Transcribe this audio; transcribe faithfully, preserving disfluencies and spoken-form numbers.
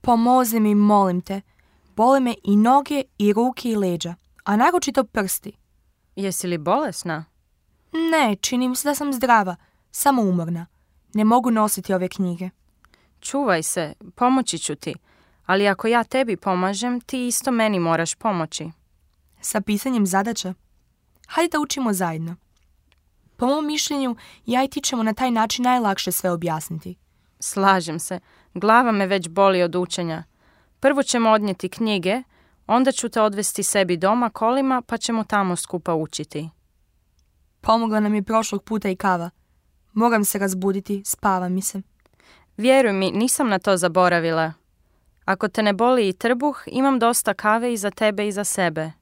Pomozi mi, molim te. Bole me i noge, i ruke, i leđa, a naročito prsti. Jesi li bolesna? Ne, čini mi se da sam zdrava, samo umorna. Ne mogu nositi ove knjige. Čuvaj se, pomoći ću ti. Ali ako ja tebi pomažem, ti isto meni moraš pomoći. Sa pisanjem zadaća? Hajde da učimo zajedno. Po mom mišljenju, ja i ti ćemo na taj način najlakše sve objasniti. Slažem se. Glava me već boli od učenja. Prvo ćemo odnijeti knjige, onda ću te odvesti sebi doma kolima, pa ćemo tamo skupa učiti. Pomogla nam je prošlog puta i kava. Moram se razbuditi, spava mi se. Vjeruj mi, nisam na to zaboravila. Ako te ne boli i trbuh, imam dosta kave i za tebe i za sebe.